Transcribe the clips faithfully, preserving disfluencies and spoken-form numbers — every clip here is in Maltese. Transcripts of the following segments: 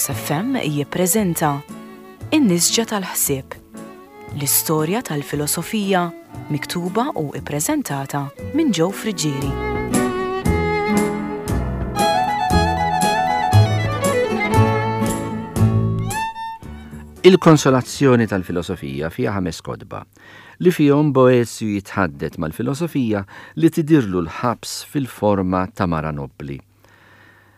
Veritas F M jippreżenta In-Nisġa tal-Ħsieb, l-istorja tal-filosofija miktuba u ippreżentata minn Joe Friggieri. Il-Konsolazzjoni tal-Filosofija fiha ħames kotba li fihom Boezju jitħaddet mal-filosofija li tidirlu l-ħabs fil-forma ta' mara nobbli.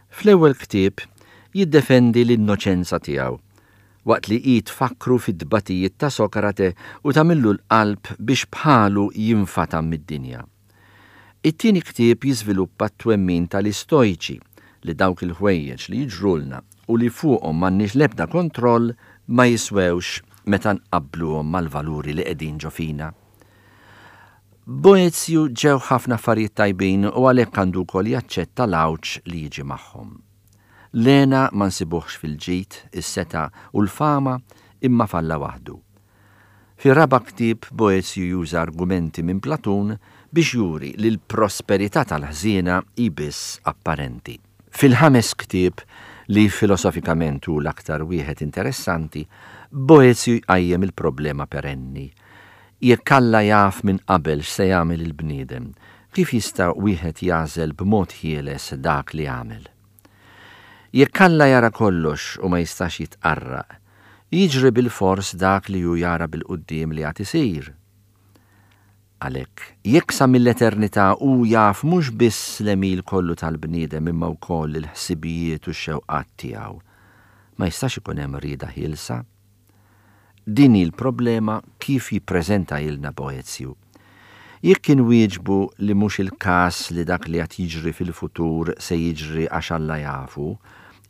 Fl-ewwel ktieb jiddefendi l-innoċenza tiegħu, waqt li hi tfakkru fid-dbatijiet ta' Sokrate u tagħmillu l-qalb biex bħalu jinfatam mid-dinja. It-tieni ktieb jiżviluppa t-twemmin tal-Istojċi li dawk il-ħwejjeġ li jiġrulna u li fuqhom m'għandniex l-ebda kontroll ma jiswewx meta nqabbluhom mal-valuri li qegħdin ġo fina. Boezju ġew ħafna affarijiet tajbin u għalhekk għandu wkoll jaċċetta l-għawġ li jiġi magħhom. L-hena ma nsibuhx fil-ġid, is-setgħa u l-fama imma f'Alla waħdu. Fir-raba' ktieb Boezju juża argumenti minn Platun biex juri li l-prosperità tal-ħżiena hi biss apparenti. Fil-ħames ktieb, li filosofikament hu l-aktar wieħed interessanti, Boezju jqajjem il-problema perenni. Jekk Alla jaf minn qabel x'se jagħmel il-bniedem, kif jista' wieħed jagħżel b'mod ħieles dak li jagħmel? Jekk Alla jara kollox u ma jistax jitqarraq, jiġri bil-fors dak li hu jara bil-quddiem li għad isir. Għalhekk, jekk sa mill-eternità hu jaf mhux biss l-għemil kollu tal-bniedem imma wkoll il-ħsibijiet u x-xewqat tiegħu, ma jistax ikun hemm rieda ħielsa. Din hi l-problema kif jippreżenta ilna Boezju. Jekk inwieġbu li mhux il-każ li dak li qed jiġri fil-futur se jiġri għax Alla jafu,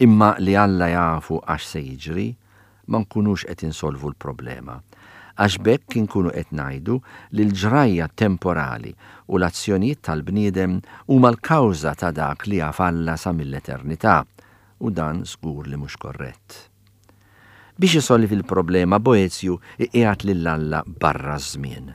imma li Alla jafu għax se jiġri, ma nkunux qed insolvu l-problema. Għax b'hekk inkunu qed ngħidu li l-ġrajja temporali u l-azzjonijiet tal-bniedem huma l-kawża ta' dak li jaf Alla sa mill-eternità, u dan żgur li mhux korrett. Biex isolvi l-problema Boezju iqiegħed lil Alla barra ż-żmien.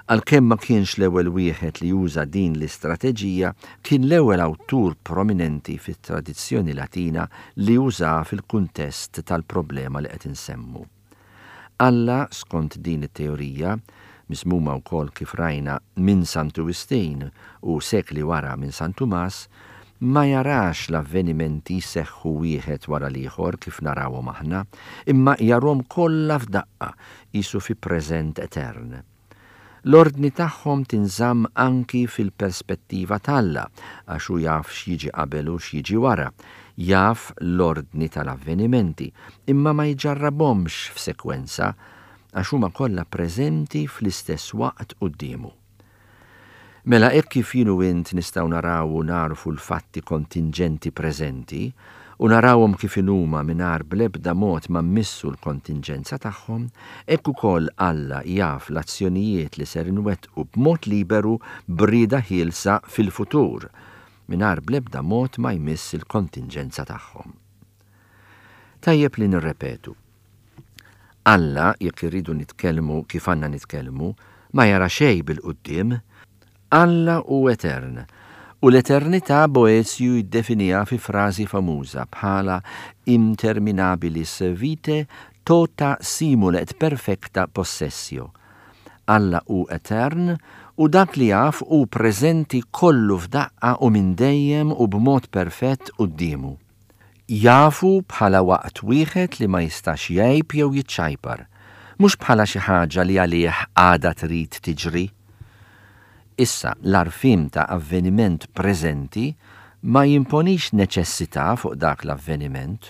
Għalkemm ma kienx l-ewwel wieħed li juża din l-istrateġija, kien l-ewwel awtur prominenti fit-tradizzjoni Latina li uża fil-kuntest tal-problema li qed insemmu. Alla, skont din it-teorija, mismuma wkoll kif rajna minn Santu Wistin u sekli wara minn San Tumas, ma jarax l-avvenimenti seħħu wieħed wara l-ieħor kif narawhom aħna, imma jarhom kollha f'daqqa qisu fi preżent etern. L-ordni tagħhom tinżamm anki fil-perspettiva t'Alla, għax hu jaf x'jiġi qabel u x'jiġi wara, jaf l-ordni tal-avvenimenti, imma ma jġarrabhomx f'sekwenza għax huma kollha preżenti fl-istess waqt quddiemu. Mela hekk kif jien u int nistgħu naraw u narfu l-fatti kontinġenti preżenti u narawhom kif inhuma mingħajr bl-ebda mod ma mmissu l-kontinġenza tagħhom, hekk ukoll Alla jaf l-azzjonijiet li ser inwettqu b'mod liberu b'rieda ħielsa fil-futur, mingħajr bl-ebda mod ma jmiss il-kontinġenza tagħhom. Tajjeb li nirrepetu. Alla, jekk irridu nitkellmu kif għandna nitkellmu, ma jara xejn bil-quddiem. Alla hu etern, u l-eternità Boezju jiddefiniha fi frażi famuża bħala interminabilis vitae tota simul et perfecta possessio. Alla hu etern u dak li jaf hu preżenti kollu f'daqqa u minn dejjem u b'mod perfett quddiemu. Jafu bħala waqt wieħed li ma jistax jgħib jew jiċċajpar, mhux bħala xi ħaġa li għalih għadha trid tiġri. Issa, l-arfim ta' avveniment preżenti ma jimponix neċessità fuq dak l-avveniment,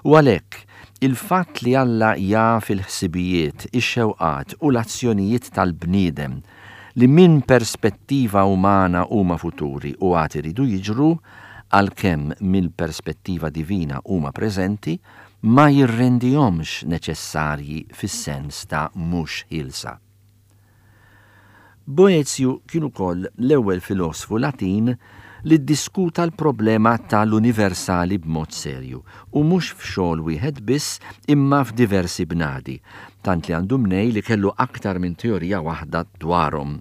u għalhekk il-fatt li Alla jaf il-ħsibijiet, ix-xewqat u l-azzjonijiet tal-bniedem li minn perspettiva umana huma futuri u għad iridu jiġru, għalkemm mill-perspettiva divina huma preżenti, ma jirrendihomx neċessarji fis-sens ta' mhux ħielsa. Boezju kien ukoll l-ewwel filosfu Latin li ddiskuta l-problema tal-universali b'mod serju u mhux f'xogħol wieħed biss imma f'diversi bnadi, tant li għandu mnej li kellu aktar minn teorija waħda dwarhom.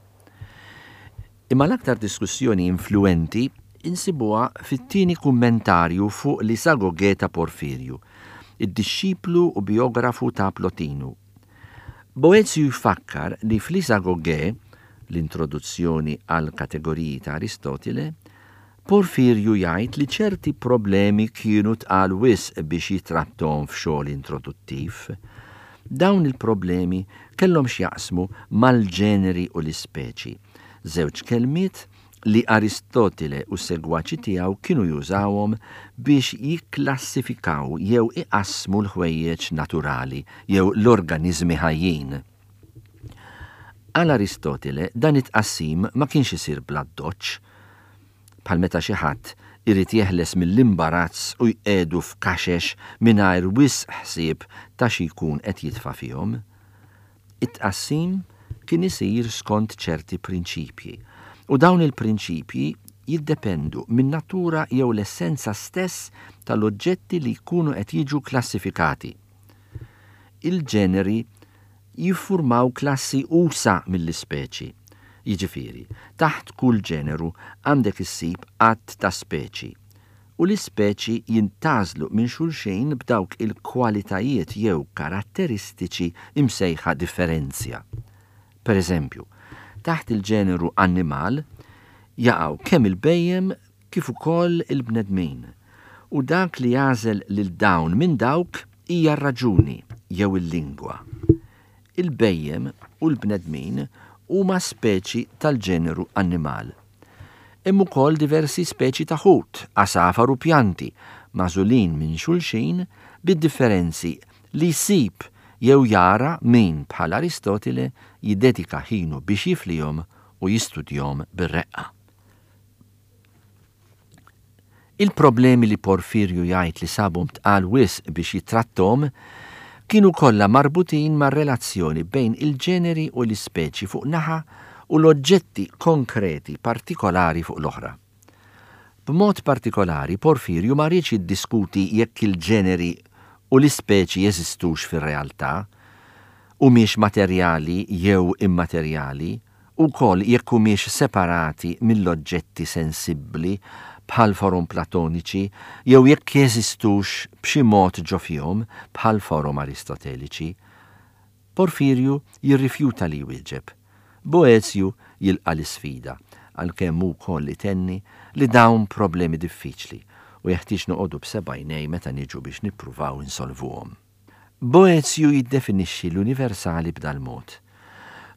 Imma l-aktar diskussjoni influenti insibuha fit-tieni kummentarju fuq l-Isagogeta Porfirju, id-dixxiplu u bijografu ta' Plotinu. Boezju jfakkar li fl-Isagoge, l-introduzzjoni għall-kategoriji ta' Aristotile, Porfirju jgħid li ċerti problemi kienu tqal wisq biex jitrattom f'xogħol introduttiv. Dawn il-problemi kellhom x'jaqsmu mal-ġeneri u l-ispeċi, żewġ kelmiet li Aristotile u segwaċi tiegħu kienu jużawhom biex jikklassifikaw jew iqassmu l-ħwejjeġ naturali jew l-organiżmi ħajjin. Għal Aristotile dan it-tqassim ma kienx isir bl-addoċċ, bħal meta xi ħadd irid jeħles mill-imbarazz u jqiegħdu f'kaxex mingħajr wisq ħsieb ta' xi jkun qed jitfa' fihom. It-tqassim kien isir skont ċerti prinċipji, u dawn il-prinċipji jiddependu min-natura jew l-essenza stess tal-oġġetti li jkunu qed jiġu klassifikati. Il-ġeneri jiffurmaw klassi usa' mill-ispeċi. Jiġifieri, taħt kull ġeneru għandek issib għadd ta' speċi, u l-ispeċi jintgħażlu minn xulxin b'dawk il-kwalitajiet jew karatteristiċi imsejħa differenzja. Per eżempju, taħt il-ġeneru annimal jaqgħu kemm il-bhejjem kif ukoll il-bnedmin, u dak li jagħżel lil dawn minn dawk hija r-raġuni jew il-lingwa. Il-bhejjem u l-bnedmin huma speċi tal-ġeneru annimal. Hemm ukoll diversi speċi ta' ħut, għasafar u pjanti, magħżulin minn xulxin bid-differenzi li jsib jew jara min bħal Aristotile jiddedika ħinu biex jiflihom u jistudjhom bir-reqqa. Il-problemi li Porfirju jgħid li sabhom tqal wisq biex jitrattom kienu kollha marbutin mar-relazzjoni bejn il-ġeneri u l-ispeċi fuq naħa u l-oġġetti konkreti partikolari fuq l-oħra. B'mod partikolari, Porfirju ma riedx jiddiskuti jekk il-ġeneri u l-ispeċi jeżistux fir-realtà, humiex materjali jew immaterjali, u wkoll jekk humiex separati mill-oġġetti sensibbli bħal forom platoniċi jew jekk jeżistux b'xi mod ġo fihom bħal forom aristoteliċi. Porfirju jirrifjuta li jwieġeb. Boezju jilqa' l-isfida, għalkemm hu wkoll itenni li dawn problemi diffiċli u jeħtieġ noqogħdu b'seba' għajnejn meta niġu biex nippruvaw insolvuhom. Boezju jiddefinixxi l-universali b'dal-mod.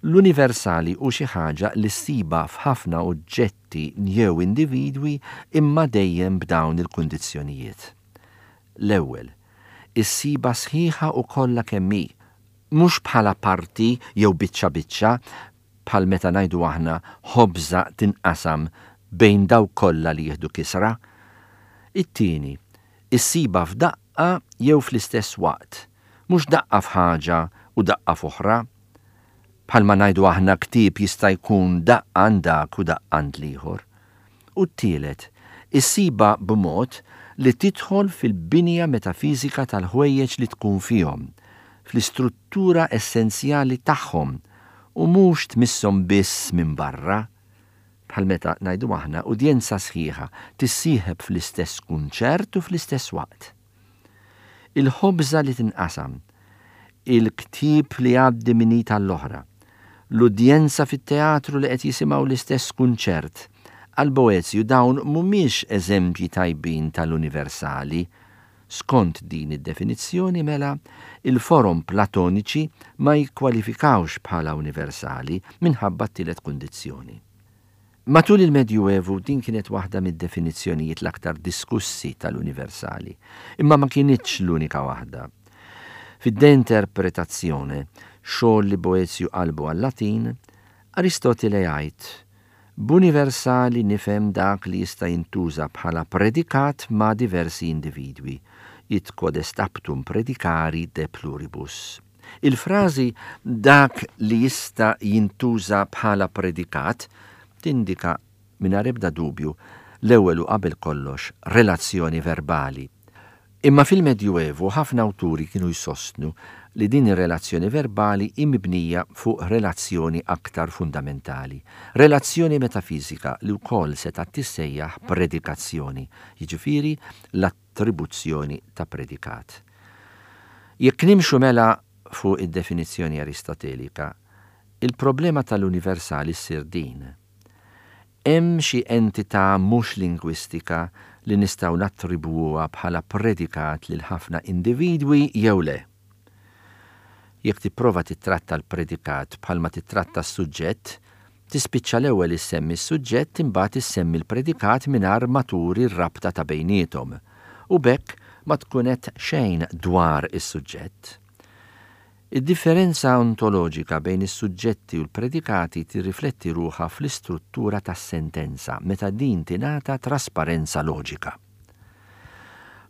L-universali hu xi ħaġa li ssibha f'ħafna oġġetti jew individwi imma dejjem b'dawn il-kundizzjonijiet. L-ewwel, issibha sħiħa u kollha kemm hi, mhux bħala parti jew biċċa biċċa, bħal meta ngħidu aħna ħobża tinqasam bejn dawk kollha li jieħdu kisra. It-tieni, issibha f'daqqa jew fl-istess waqt, mhux daqqa f'ħaġa u daqqa f'oħra. Bħalma ngħidu aħna ktieb jista' jkun daqqa għand dak u daqqa għand l-ieħor. U t-tielet, issibha b'mod li tidħol fil-binja metafiżika tal-ħwejjeġ li tkun fihom, fl-istruttura essenzjali tagħhom u mhux tmisshom biss minn barra. Bħal meta ngħidu aħna udjenza sħiħa tissieħeb fl-istess kunċert u fl-istess waqt. Il-ħobża li tinqasam, il-ktieb li jgħaddi minn id għall-oħra, l-udjenza fit-teatru li qed jisimgħu l-istess kunċert. Għal Boezju dawn mhumiex eżempji tajbin tal-universali. Skont din id-definizzjoni mela, il-forom platoniċi ma jikkwalifikawx bħala universali minħabba t-tielet kundizzjoni. Matul il-Medjuevu din kienet waħda mid-definizzjonijiet l-aktar diskussi tal-universali, imma ma kinitx l-unika waħda. Fid-De Interpretazione, xogħol li Boezju qalbu għal-Latin, Aristotile jgħid: b'universali nifhem dak li jista' jintuża bħala predikat ma' diversi individwi, id quod est aptum predicari de pluribus. Il-frażi dak li jista' jintuża bħala predikat tindika mingħajr ebda dubju l-ewwel u qabel kollox relazzjoni verbali. Imma fil-Medjuevu ħafna awturi kienu jsostnu li din ir-relazzjoni verbali hi mibnija fuq relazzjoni aktar fundamentali, relazzjoni metafiżika li wkoll setgħet tissejjaħ predikazzjoni, jiġifieri l-attribuzzjoni ta' predikat. Jekk nimxu mela fuq id-definizzjoni Aristotelika, il-problema tal-universali ssir din. Hemm xi entità mhux lingwistika li nistgħu nattribwuha bħala predikat lil ħafna individwi jew le? Jekk tipprova tittratta l-predikat bħalma tittratta s-suġġett, tispiċċa l-ewwel issemmi s-suġġett imbagħad issemmi l-predikat mingħajr ma turi r-rabta ta' bejniethom, u b'hekk ma tkun għedt xejn dwar is-suġġett. Id-differenza ontoloġika bejn is-suġġetti u l-predikati tirrifletti ruħha fl-istruttura tas-sentenza meta din tingħata trasparenza loġika.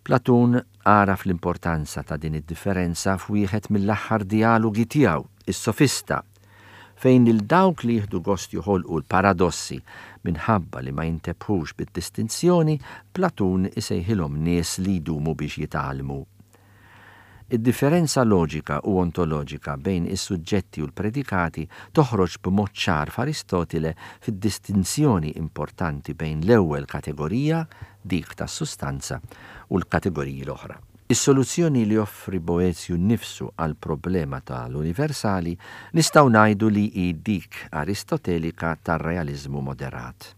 Platun għaraf l-importanza ta' din id-differenza f'wieħed mill-aħħar dialogi tiegħu, is-Sofista, fejn lil dawk li jieħdu gost joħolqu l-paradossi minħabba li ma jintebħux bid-distinzjoni, Platun isejħilhom nies li jdumu biex jitgħallmu. Id-differenza loġika u ontoloġika bejn is-suġġetti u l-predikati toħroġ b'mod ċar f'Aristotile fid-distinzjoni importanti bejn l-ewwel kategorija, dik tas-sustanza, u l-kategoriji l-oħra. Is-soluzzjoni li joffri Boezju nnifsu għall-problema tal-universali nistgħu ngħidu li hi dik Aristotelika tar-realiżmu moderat.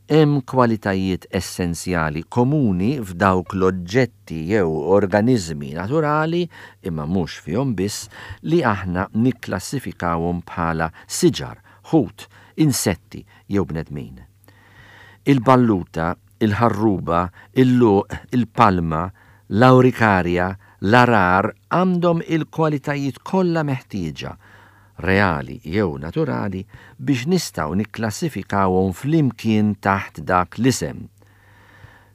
Hemm kwalitajiet essenzjali komuni f'dawk l-oġġetti jew organiżmi naturali, imma mhux fihom biss, li aħna nikklassifikawhom bħala siġar, ħut, insetti jew bnedmin. Il-balluta, il-ħarruba, il-luq, il-palma, l-awrikarja, l-għarar għandhom il-kwalitajiet kollha meħtieġa, reali jew naturali, biex nistgħu nikklassifikawhom flimkien taħt dak l-isem.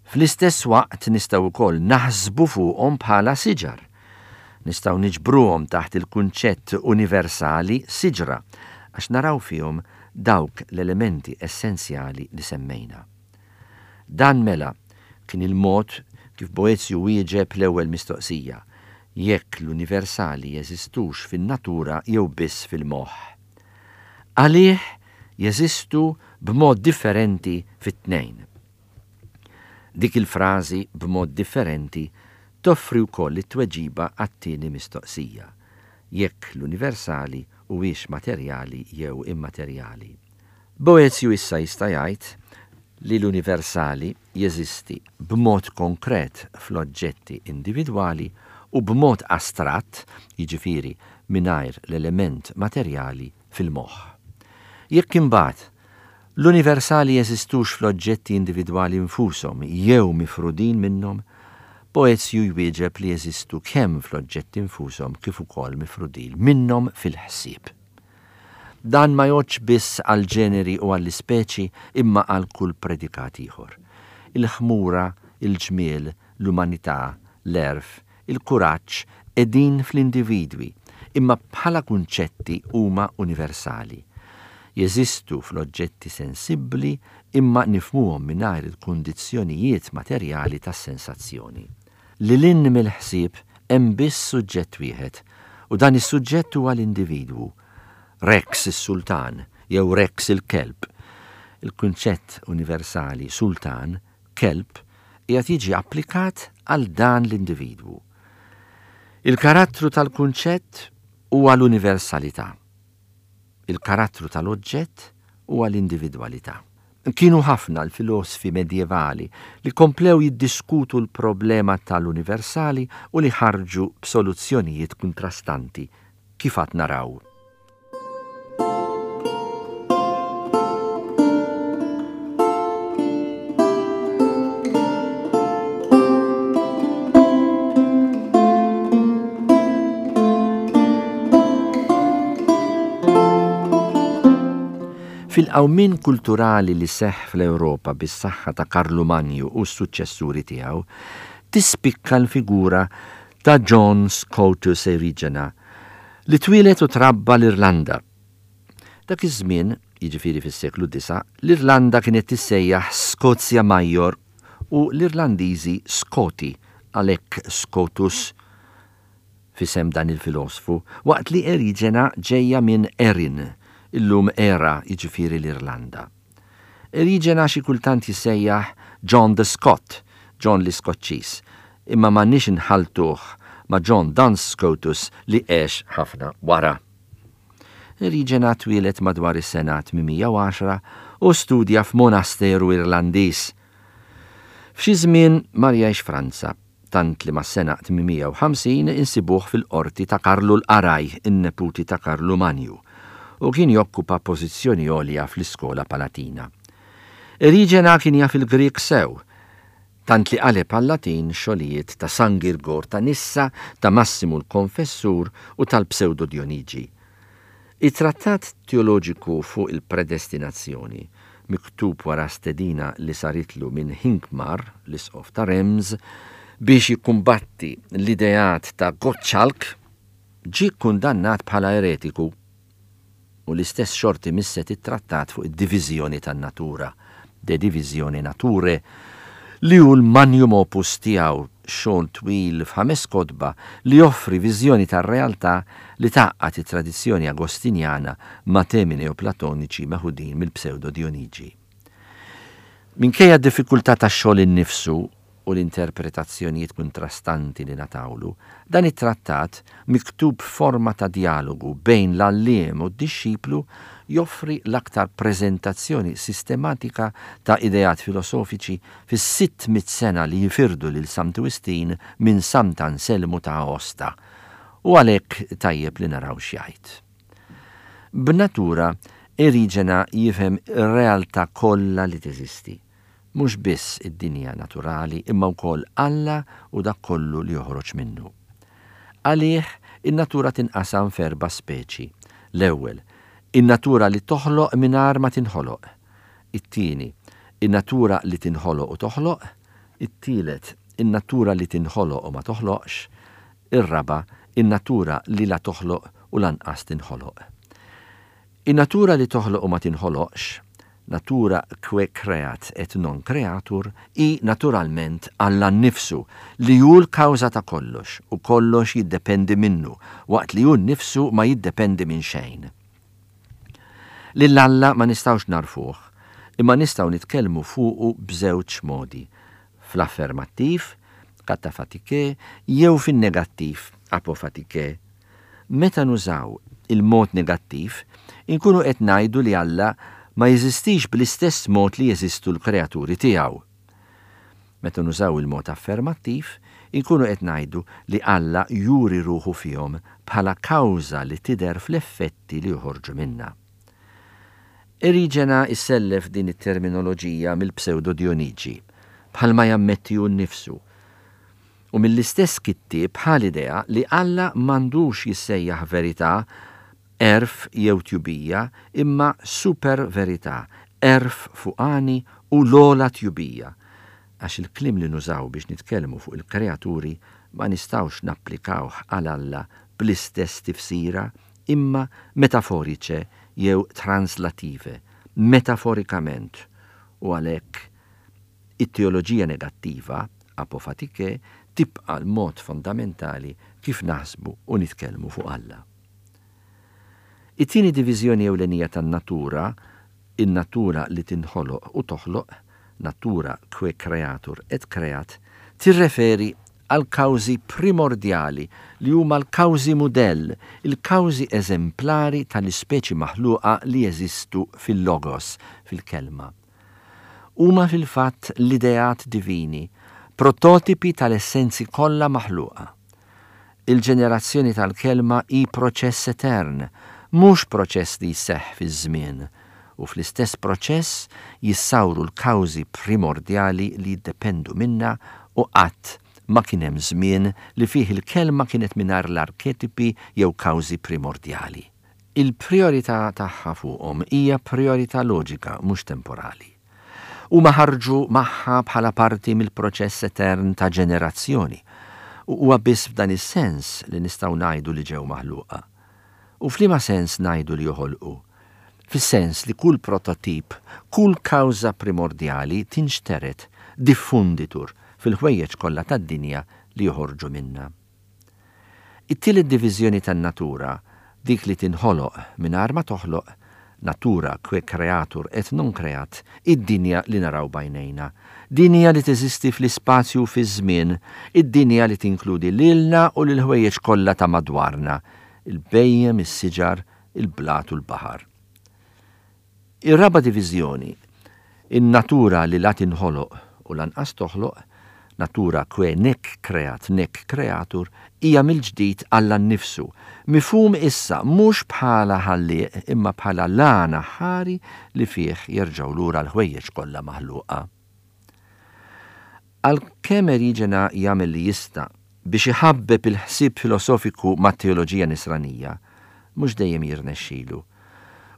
Fl-istess waqt nistgħu wkoll naħsbu fuqhom bħala siġar. Nistgħu niġbruhom taħt il-kunċett universali siġra għax naraw fihom dawk l-elementi essenzjali li semmejna. Dan mela kien il-mod kif Boezju wieġeb l-ewwel mistoqsija, jekk l-universali jeżistux fin-natura jew biss fil-moħħ. Għalih jeżistu b'mod differenti fit-tnejn. Dik il-frażi b'mod differenti toffri wkoll it-tweġiba għat-tieni mistoqsija, jekk l-universali huwiex materjali jew immaterjali. Boezju issa jista' jgħid li l-universali jeżisti b'mod konkret fl-oġġetti individwali u b'mod astratt, jiġifieri mingħajr l-element materjali, fil-moħħ. Jekk imbagħad l-universali jeżistux fl-oġġetti individwali nfushom jew mifrudin minnhom, Boezju jwieġeb li jeżistu kemm fl-oġġetti nfushom kif ukoll mifrudin minnhom fil-ħsieb. Dan ma jgħodx biss għall-ġeneri u għall-ispeċi imma għal kull predikat ieħor. Il-ħmura, il-ġmiel, l-umanità, l-għerf, il-kuraġġ qegħdin fl-individwi, imma bħala kunċetti huma universali. Jeżistu fl-oġġetti sensibbli imma nifhmuhom mingħajr il-kundizzjonijiet materjali tas-sensazzjoni. Lil hinn mill-ħsieb hemm biss suġġett wieħed, u dan is-suġġett huwa l-individwu. Rex is-sultan jew Rex il-kelb. Il-kunċett universali sultan, kelb, qiegħed jiġi applikat għal dan l-individwu. Il-karattru tal-kunċett huwa l-universalità. Il-karattru tal-oġġett huwa l-individwalità. Kienu ħafna l-filosfi medjevali li komplew jiddiskutu l-problema tal-universali u li ħarġu b'soluzzjonijiet kontrastanti, kif għad naraw. Fil-qawmien kulturali li seħħ fl-Ewropa bis-saħħa ta' Karlu Manju u s-suċċessuri tiegħu, tispikka l-figura ta' John Scotus Erigena li twieled u trabba l-Irlanda. Dak iż-żmien, jiġifieri fis-seklu disa', l-Irlanda kienet tissejjaħ Skozja Major u l-Irlandiżi Skoti, għalhekk Scotus f'isem dan il-filosfu, waqt li Erigena ġejja minn Erin, illum Era, jiġifieri l-Irlanda. Erigena xi kultant jissejjaħ John the Scot, John l-Iskoċċiż, imma m'għandniex inħaltuh ma' John Duns Scotus li għex ħafna wara. Eriġena twieled madwar is-sena tmien mija u għaxra u studja f'monasteru Irlandiż. F'xi żmien mar jgħix Franza, tant li mas-sena tmien mija u ħamsin insibuh fil-qorti ta' Karlu l-Qaraj, in-neputi ta' Karlu Manju, u kien jokkupa pożizzjoni għolja fl-iskola Palatina. Eriġena kien jaf il-Grieg sew, tant li qaleb għal-Latin xogħlijiet ta' San Girgor ta' Nissa, ta' Massimu l-Konfessur u tal-Pseudo Dionigi. It-trattat teoloġiku fuq il-predestinazzjoni, miktub wara stedina li saritlu minn Hincmar, l-isqof ta' Reims, biex jikkumbatti l-ideat ta' Gottschalk, ġie kundannat bħala eretiku, u l-istess xorti misset it-trattat fuq id-diviżjoni tan-natura, De Divisione Naturae, li hu l-magnum opus tiegħu, xogħol twil f'ħames kotba li joffri viżjoni tar-realtà li tgħaqqad it-tradizzjoni agostinjana ma' temi neoplatoniċi meħudin mill-Pseudo Dionigi. Minkejja d-diffikultà tax-xogħol innifsu u l-interpretazzjonijiet kontrastanti li ngħatawlu, dan it-trattat, miktub forma ta' dialogu bejn l-għalliem u d-dixxiplu, joffri l-aktar preżentazzjoni sistematika ta' ideat filosofiċi fis-sitt mitt sena li jifirdu lil Santu Wistin minn Sant'Anselmu ta' Aosta, u għalhekk tajjeb li naraw x'jgħid. B'natura, Eriġena jifhem ir-realtà kollha li teżisti, mhux biss id-dinja naturali imma wkoll Alla u dak kollu li joħroġ minnu. Għalih in-natura tinqasam f'erba' speċi. L-ewwel, in-natura li toħloq mingħajr ma tinħoloq. It-tieni, in-natura li tinħoloq u toħloq. It-tielet, in-natura li tinħoloq u ma toħloqx. Ir-raba', in-natura li la toħloq u lanqas tinħoloq. In-natura li toħloq u ma tinħoloqx, natura que creat et non creatur, hi naturalment Alla nnifsu, li hu l-kawża ta' kollox u kollox jiddependi minnu, waqt li hu nnifsu ma jiddependi minn xejn. Lil Alla ma nistgħux nagħrfuh, imma nistgħu nitkellmu fuqu b'żewġ modi, fl-affermattiv, katafatike, jew fin-negattiv, apofatike. Meta nużaw il-mod negattiv, inkunu qed ngħidu li Alla ma jeżistix bl-istess mod li jeżistu l-kreaturi tiegħu. Meta nużaw il-mod affermattiv, inkunu qed ngħidu li Alla juri ruħu fihom bħala kawża li tidher fl-effetti li joħorġu minna. Eriġena issellef din it-terminoloġija mill-Pseudo Dionigi, bħalma jammetti hu nnifsu, u mill-istess kittieb ħa l-idea li Alla m'għandux jissejjaħ verità, għerf jew tjubija, imma super verità, għerf fuqani u l-ogħla tjubija, għax il-kliem li nużaw biex nitkellmu fuq il-kreaturi ma nistgħux napplikawh għal Alla bl-istess tifsira, imma metaforiċe jew translative, metaforikament, u għalhekk it-teoloġija negattiva, apofatike, tibqa' l-mod fondamentali kif naħsbu u nitkellmu fuq Alla. It-tieni diviżjoni ewlenija tan-natura, in-natura li tinħoloq u toħloq, natura que creatur et creat, tirreferi għal kawżi primordjali li huma l-kawżi mudell, il-kawżi eżemplari tal-ispeċi maħluqa li jeżistu fil-logos, fil-kelma. Huma fil-fatt l-ideat divini, prototipi tal-essenzi kollha maħluqa. Il-ġenerazzjoni tal-kelma hi proċess etern, mhux proċess li jseħħ fiż-żmien, u fl-istess proċess jissawru l-kawżi primordjali li jiddependu minna, u qatt ma kien hemm żmien li fih il-kelma kienet mingħajr l-arketipi jew kawżi primordjali. Il-priorità tagħha fuqhom hija priorità loġika, mhux temporali. Huma ħarġu magħha bħala parti mill-proċess etern ta' ġenerazzjoni, u huwa biss f'dan is-sens li nistgħu ngħidu li ġew maħluqa. U f'liema sens ngħidu li joħolqu? Fis-sens li kull prototip, kull kawża primordjali tinxteret, diffunditur fil-ħwejjeġ kollha tad-dinja li joħorġu minna. It-tielet diviżjoni tan-natura, dik li tinħoloq mingħajr ma toħloq, natura que creatur et non creat, id-dinja li naraw b'għajnejna. Dinja li teżisti fl-ispazju u fiż-żmien, id-dinja li tinkludi lilna u lil-ħwejjeġ kollha ta' madwarna, il-bhejjem, is-siġar, il-blat u l-baħar. Ir-raba' diviżjoni, in-natura li la tinħoloq u lanqas toħloq, natura que nec creat nec creatur, hija mill-ġdid Alla nnifsu, mifhum issa mhux bħala ħallieq imma bħala l-għan aħħari li fih jerġgħu lura l-ħwejjeġ kollha maħluqa. Għalkemm Eriġena jagħmel li jista' biex iħabbeb il-ħsieb filosofiku mat-teoloġija nisranija, mhux dejjem jirnexxilu.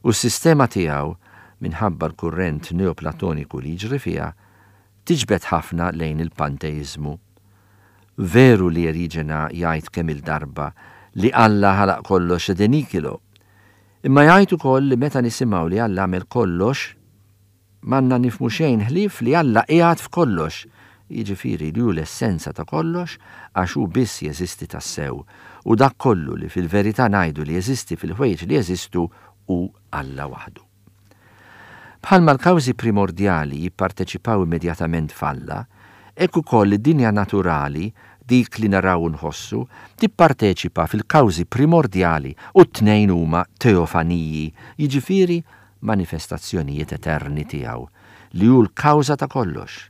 U s-sistema tiegħu, minħabba l-kurrent neoplatoniku li jiġri fiha, tiġbed ħafna lejn il-panteiżmu. Veru li Eriġena jgħid kemm il-darba li Alla ħalaq kollox de nihilo, imma jgħid ukoll li meta nisimgħu li Alla għamel kollox, m'għandna nifhmu xejn ħlief li Alla qiegħed f'kollox, jiġifieri li hu l-essenza ta' kollox għax hu biss jeżisti tassew, u dak kollu li fil-verità ngħidu li jeżisti fil-ħwejjeġ li jeżistu hu Alla waħdu. Bħalma l-kawżi primordjali jipparteċipaw immedjatament f'Alla, hekk ukoll id-dinja naturali, dik li naraw u nħossu, tipparteċipa fil-kawżi primordjali u t-tnejn huma teofaniji, jiġifieri manifestazzjonijiet eterni tiegħu, li hu l-kawża ta' kollox.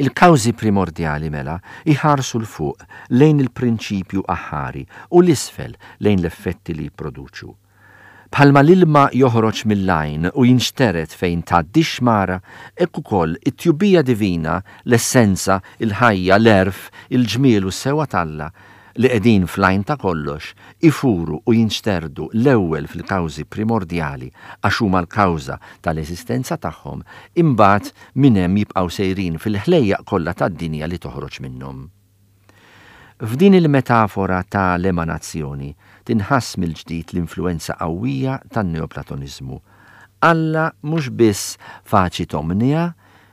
Il-kawżi primordjali mela iħarsu 'l fuq lejn il-prinċipju aħħari u l-isfel lejn l-effetti li jipproduċu. Bħalma l-ilma joħroġ mill-għajn u jinxtered fejn tgħaddi x-xmara, hekk ukoll it-tjubija divina, l-essenza, il-ħajja, l-għerf, il-ġmiel u s-sewwa t'Alla li qegħdin fl-għajn ta' kollox, ifuru u jinxterdu l-ewwel fil-kawżi primordjali għax huma l-kawża tal-eżistenza tagħhom, imbagħad minn hemm jibqgħu sejrin fil-ħlejjaq kollha tad-dinja li toħroġ minnhom. F'din il-metafora ta' l-emanazzjoni tinħass mill-ġdid l-influenza qawwija tan-neoplatoniżmu. Alla mhux biss facit omnia,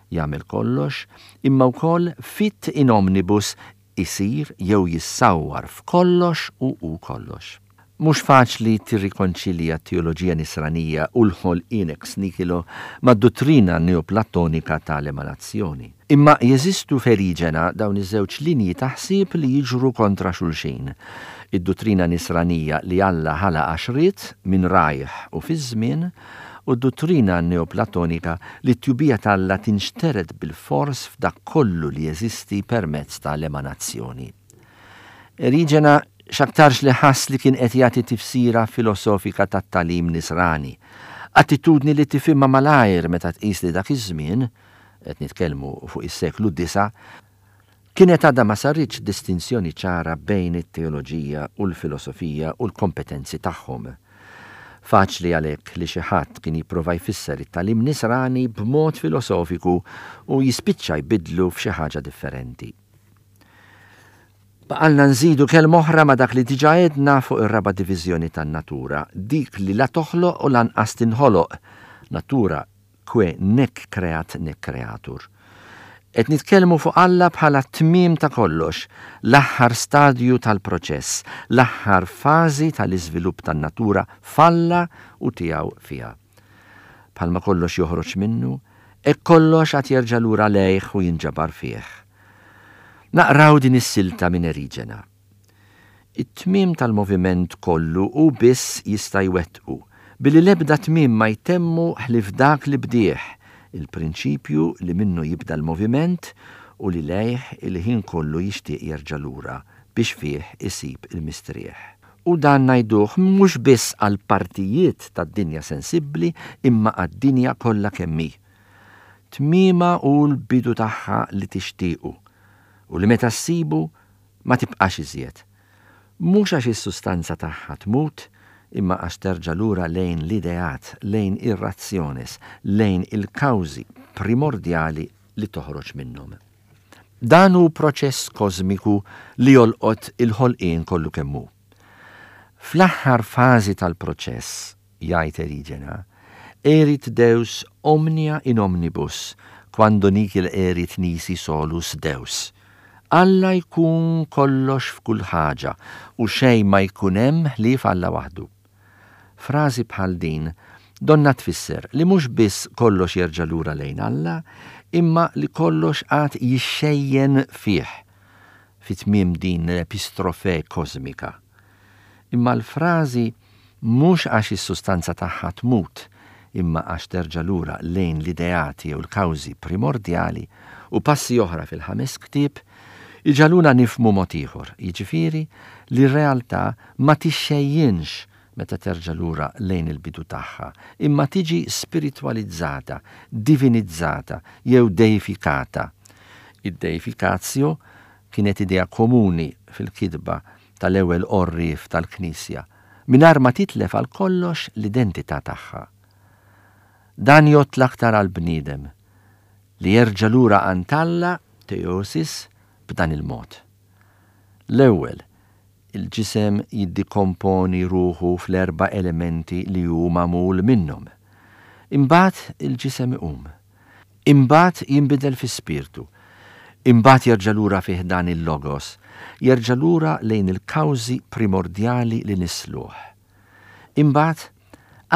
jagħmel kollox, imma wkoll fit in omnibus isir jew jissawwar f'kollox u hu kollox. Mhux faċli tirrikonċilja t-teoloġija nisranija u l-ħolqien ex nihilo mad-duttrina neoplatonika tal-emanazzjoni. Imma jeżistu f'Eriġena dawn iż-żewġ linji ta' ħsieb li jiġru kontra xulxin. Id-duttrina nisranija li Alla ħalaq għax ried minn rajh u fiż-żmien, u d-duttrina neoplatonika li t-tjubija t'Alla tinxtered bil-fors f'dak kollu li jeżisti permezz tal-emanazzjoni. Eriġena x'aktarx li ħass li kien qed jagħti tifsira filosofika tat-tagħlim nisrani, attitudni li tifhimha malajr meta tqis li dak iż-żmien, qed nitkellmu fuq is-seklu disa', kienet għadha ma saritx distinzjoni ċara bejn it-teoloġija u l-filosofija u l-kompetenzi tagħhom. Faċli għalhekk li xi ħadd kien jipprova jfisser it-tagħlim nisrani b'mod filosofiku u jispiċċa jbidlu f'xi ħaġa differenti. Baqalna nżidu kelma oħra ma' dak li diġà għedna fuq ir-raba' diviżjoni tan-natura, dik li la toħloq u lanqas tinħoloq, natura que nec creat nec creatur. Qed nitkellmu fuq Alla bħala t-tmiem ta' kollox, l-aħħar stadju tal-proċess, l-aħħar fażi tal-iżvilupp tan-natura f'Alla u tiegħu fiha. Bħalma kollox joħroġ minnu, hekk kollox għad jerġa' lura lejh u jinġabar fih. Naqraw din is-silta minn Eriġena. It-tmiem tal-moviment kollu hu biss jista' jwettqu, billi l-ebda tmiem ma jtemmu ħlief dak li bdieh, il-prinċipju li minnu jibda l-moviment u li lejh il-ħin kollu jixtieq jerġa' lura biex fih isib il-mistrieħ. U dan ngħiduh mhux biss għal partijiet tad-dinja sensibbli imma għad-dinja kollha kemm hi. Tmiema hu l-bidu tagħha li tixtiequ u li meta ssibu ma tibqax iżjed. Mhux għax is-sustanza tagħha tmut, imma għax terġa' lura lejn l-ideat, lejn ir-razzjones, lejn il-kawżi primordjali li toħroġ minnhom. Dan hu proċess kosmiku li jolqot il-ħolqien kollu kemm hu. Fl-aħħar fażi tal-proċess, jgħid Eriġena, erit Deus omnia in omnibus, quando nihil erit nisi solus Deus. Alla jkun kollox f'kull ħaġa u xejn ma jkun hemm ħlief Alla waħdu. Frażi bħal din donnha tfisser li mhux biss kollox jerġa' lura lejn Alla, imma li kollox għad jixxejjen fih fi tmiem din l-epistrofe kosmika. Imma l-frażi mhux għax is-sustanza tagħha tmut, imma għax terġa' lura lejn l-ideati jew l-kawżi primordjali u passi oħra fil-ħames ktieb iġagħluna nifhmu mod ieħor, jiġifieri li r-realtà ma tixxejjinx meta terġa' lura lejn il-bidu tagħha, imma tiġi spiritwalizzata, divinizzata jew deifikata. Id-deifikatio kienet idea komuni fil-kitba tal-ewwel għorrief tal-Knisja, mingħajr ma titlef għal kollox l-identità tagħha. Dan jgħodd l-aktar għall-bniedem li jerġa' lura għand Alla, theosis, b'dan il-mod. L-ewwel, il-ġisem jiddikomponi ruħu fl-erba' elementi li hu magħmul minnhom. Imbagħad il-ġisem iqum. Imbagħad jinbidel fi spirtu. Imbagħad jerġa' lura fih dan il-logos, jerġa' lura lejn il-kawżi primordjali li nisluh. Imbagħad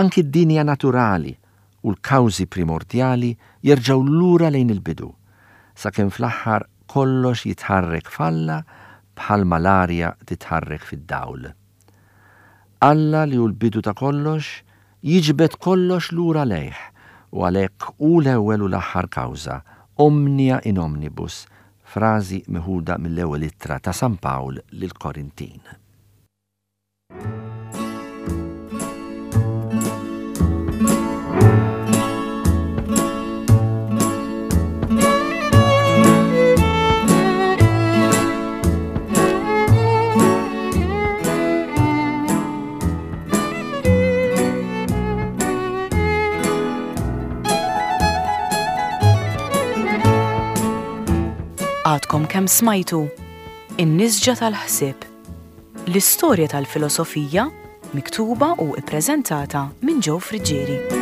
anki d-dinja naturali u l-kawżi primordjali jerġgħu lura lejn il-bidu, sakemm fl-aħħar kollox jitħarrek f'Alla bħalma l-arja titħarrek fid-dawl. Alla li hu l-bidu ta' kollox jiġbed kollox lura lejh u għalhekk hu l-ewwel u l-aħħar kawża, omnia in omnibus, frażi meħuda mill-ewwel ittra ta' San Pawl lill-Korintin. Għadkom kemm smajtu In-Nisġa tal-Ħsieb, l-istorja tal-filosofija miktuba u ippreżentata minn Joe Friggieri.